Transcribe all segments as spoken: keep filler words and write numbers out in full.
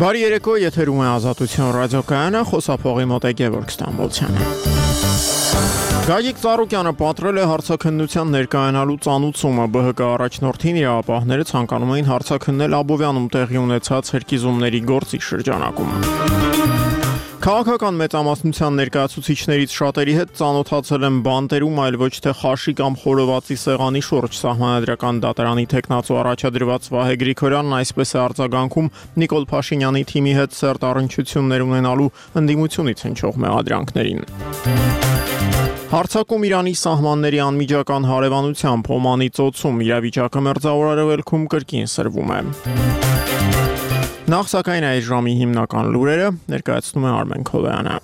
Բարի երեկո, եթերում է Ազատություն ռադիոկայանը, խոսափողի մոտ է Գևորգ Ստամբոլցյանը։ Գագիկ Ծառուկյանը պատրել է հարցաքննության ներկայանալու ծանուցումը։ ԲՀԿ առաջնորդին իրավապահները ցանկանում էին հարցաքննել Աբովյանում տեղի ունեցած հերկիզումների գործի շրջանակում։ Քաղաքական մեծամասնության ներկայացուցիչներից շատերի հետ ծանոթացել եմ բանտերում, այլ ոչ թե խաշի կամ խորովածի սեղանի շուրջ։ Սահմանադրական դատարանի թեկնածու առաջադրված Վահե Գրիգորյանն այսպես է արձագանքում Նիկոլ Փաշինյանի թիմի հետ սերտ առնչություններ ունենալու ընդդիմությունից հնչող մեղադրանքներին։ Հարցակում Իրանի սահմանների անմիջական հարևանությամբ Օմանի ծոցում իրավիճակը Մերձավոր Արևելքում կրկին սրվում է։ Նախ սակայն այս ժամի հիմնական լուրերը ներկայացնում է Արմեն Քոլոյանը։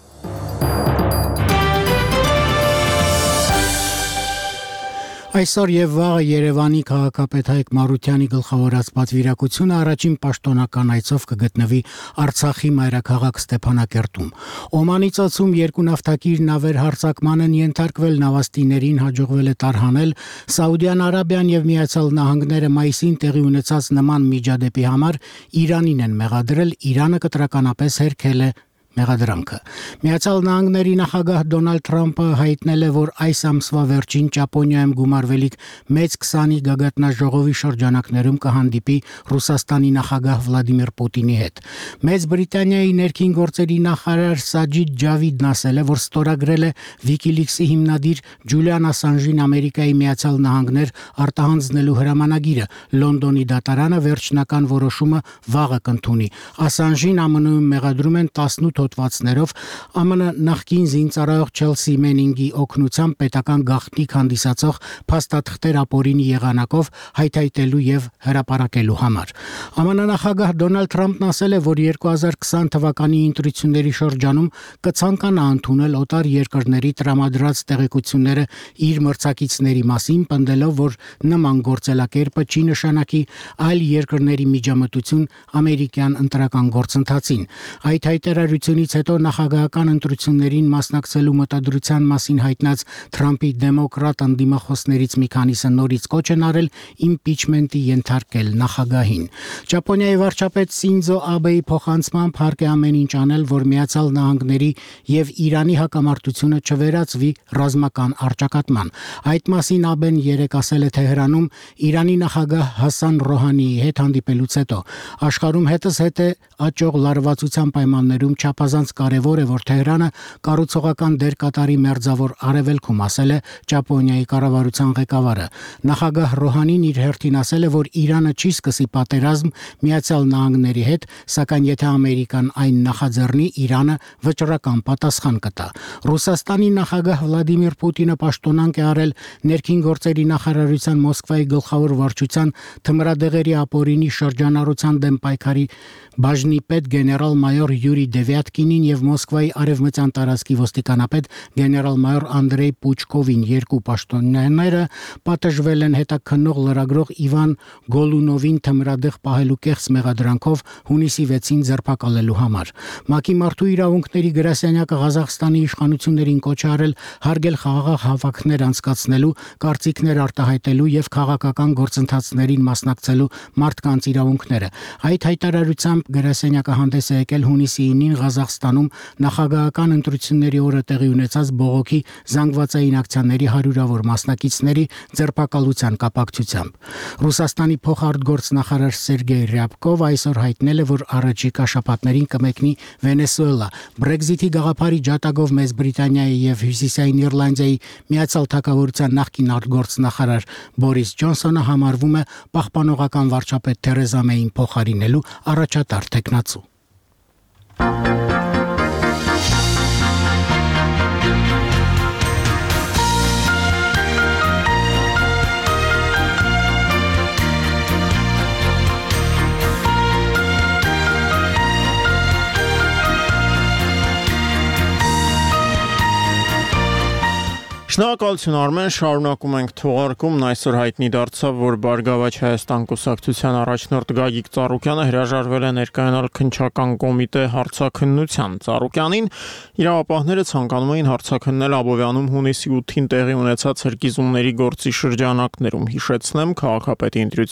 Այսօր եւ վաղը Երևանի քաղաքապետ Հայկ Մարությանի գլխավորած պատվիրակությունը առաջին պաշտոնական այցով կգտնվի Արցախի մայրաքաղաք Ստեփանակերտում։ Օմանի ծոցում երկու նավթակիր նավեր հարձակման են ենթարկվել, նավաստիներին հաջողվել է տարհանել։ Սաուդյան Արաբիան եւ Միացյալ Նահանգները մայիսին տեղի ունեցած նման միջադեպի համար Իրանին են մեղադրել, Իրանը կտրականապես հերքել է մեղադրանքը։ Միացյալ Նահանգների նախագահ Դոնալդ Թրամփը հայտնել է, որ այս ամսվա վերջին Ճապոնիայում գումարվելիք մեծ քսանի գագաթնաժողովի շրջանակներում կհանդիպի Ռուսաստանի նախագահ Վլադիմիր Պուտինի հետ։ Մեծ Բրիտանիայի ներքին գործերի նախարար Սաջիդ Ջավիդն ասել է, որ ստորագրել է Wikileaks-ի հիմնադիր Ջուլիան Ասանժին Ամերիկայի Միացյալ Նահանգներ արտահանձնելու հրամանագիրը։ Լոնդոնի դատարանը վերջնական որոշումը վաղը կընդունի։ Ասանժին ԱՄՆ-ում մեղադրում են տասնութ հոդվածներով ԱՄՆ նախկին զինծառայող Չելսի Մենինգի օգնությամբ պետական գաղտնիք հանդիսացող փաստաթղթեր ապօրինի եղանակով հայթայթելու եւ հրապարակելու համար։ ԱՄՆ նախագահ Դոնալդ Թրամփն ասել է, որ երկու հազար քսան թվականի ընտրությունների շրջանում կցանկանա ընդունել օտար երկրների տրամադրած տեղեկությունները իր մրցակիցների մասին, պնդելով, որ նման գործելակերպը չի նշանակի այլ երկրների միջամտություն ամերիկյան ընտրական գործընթացին։ Այդ հայտարարությունից հետո նախագահական ընտրություններին մասնակցելու մտադրության մասին հայտնած Թրամփի դեմոկրատ ընդդիմախոսներից մի քանիսը նորից կոչ են արել իմպիչմենտի ենթարկել նախագահին։ Ճապոնիայի վարչապետ Սինձո Աբեի փոխանցմամբ հարկ է ամեն ինչ անել, որ Միացյալ Նահանգների եւ Իրանի հակամարտությունը չվերածվի ռազմական առճակատման։ Այդ մասին Աբեն երեկ ասել է Թեհրանում Իրանի նախագահ Հասան Ռոհանիի հետ հանդիպելուց հետո։ Աշխարհում հետս հետ է աճող լարվածության պայմաններում չափազանց կարևոր է, որ Թեհրանը կառուցողական դեր կատարի Մերձավոր Արևելքում, ասել է Ճապոնիայի կառավարության ղեկավարը։ Նախագահ Ռոհանին իր հերթին ասել է, որ Իրանը չի սկսի պատերազմ Միացյալ Նահանգների հետ, սակայն եթե Ամերիկան այն նախաձեռնի, Իրանը վճռական պատասխան կտա։ Ռուսաստանի նախագահ Վլադիմիր Պուտինը պաշտոնանկ է արել ներքին գործերի նախարարության Մոսկվայի գլխավոր վարչության թմրադեղերի ապօրինի շրջանառության դեմ պայքարի բաժնի պետ գեներալ-մայոր Յուրի Դևյատկինին եւ Մոսկվայի արևմտյան տարածքի ոստիկանապետ գեներալ-մայոր Անդրեյ Պուչկովին։ Երկու պաշտոնյաները պատժվել են հետաքննող լրագրող Իվան Գոլունովին թմրադեղ պահելու կեղծ մեղադրանքով հունիսի վեցին ձերբակալելու համար։ ՄԱԿ-ի մարդու իրավունքների գրասենյակը Ղազախստանի իշխանություններին կոչ է արել հարգել խաղաղ հավաքներ անցկացնելու, կարծիքներ արտահայտելու եւ քաղաքական գործընթացներին մասնակցելու մարդկանց իրավունքները։ Այդ հայտարարությամբ գրասենյակը հանդես է եկել հունիսի ինին Ղազախստանում նախագահական ընտրությունների օրը տեղի ունեցած բողոքի զանգվածային ակցիաների հարյուրավոր մասնակիցների ձերբակալության կապակցությամբ։ Ռուսաստանի փոխարտգործնախարար Սերգեյ Ռյաբկով այսօր հայտնել է, որ առաջիկա շաբաթներին կմեկնի Վենեսուելա։ Բրեքզիթի գաղափարի ջատագով Մեծ Բրիտանիայի եւ Հյուսիսային Իռլանդիայի Միացյալ Թագավորության նախկին արտգործնախարար Բորիս Ջոնսոնը համարվում է պահպանողական վարչապետ Թերեզա Մեյին փոխարինելու առաջատար թեկնածու։ Շնորհակալություն Արմեն, շարունակում ենք թողարկումն։ Այսօր հայտնի դարձավ, որ Բարգավաճ Հայաստան կուսակցության առաջնորդ Գագիկ Ծառուկյանը հրաժարվել է ներկայանալ քննչական կոմիտե հարցաքննության։ Ծառուկյանին իրավապահները ցանկանում էին հարցաքննել Աբովյանում հունիսի ութին տեղի ունեցած հրկիզումների գործի շրջանակներում։ Հիշեցնեմ, քաղաքապետի ընտրության